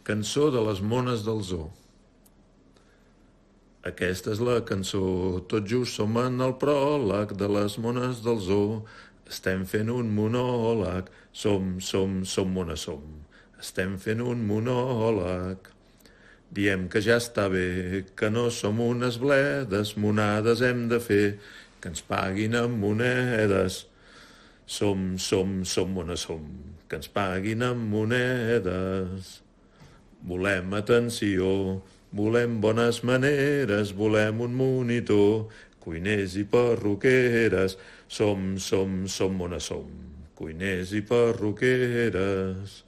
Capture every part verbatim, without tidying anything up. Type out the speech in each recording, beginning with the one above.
Cançó de les mones del zoo. Aquesta és la cançó, tot just som en el pròleg de les mones del zoo. Estem fent un monòleg, som, som, som mones, som. Estem fent un monòleg. Diem que ja està bé, que no som unes bledes, monades hem de fer, que ens paguin amb monedes. Som, som, som mones, som, que ens paguin amb monedes. Volem atenció, volem bones maneres, volem un monitor, cuiners i perruqueres. Som, som, som mones, som, cuiners i perruqueres.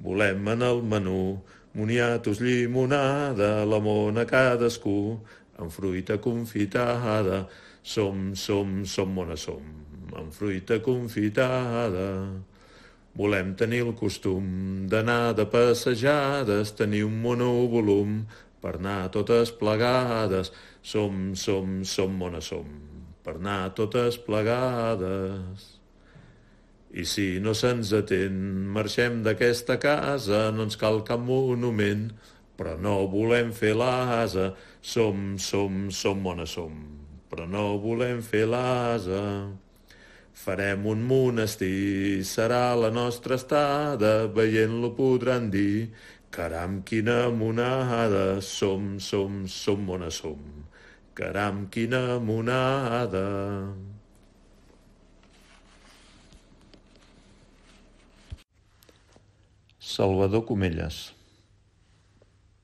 Volem en el menú moniatos, llimonada, la mona cadascú, amb fruita confitada. Som, som, som mones, som, amb fruita confitada. Volem tenir el costum d'anar de passejades, tenir un monovolum per anar totes plegades. Som, som, som mones, som, per anar totes plegades. I si no se'ns atén, marxem d'aquesta casa, no ens cal cap monument, però no volem fer l'asa. Som, som, som mones, som, però no volem fer l'asa. Farem un monestir, serà la nostra estada, veient-lo podran dir, caram, quina monada, som, som, som mones, som, caram, quina monada. Salvador Comelles.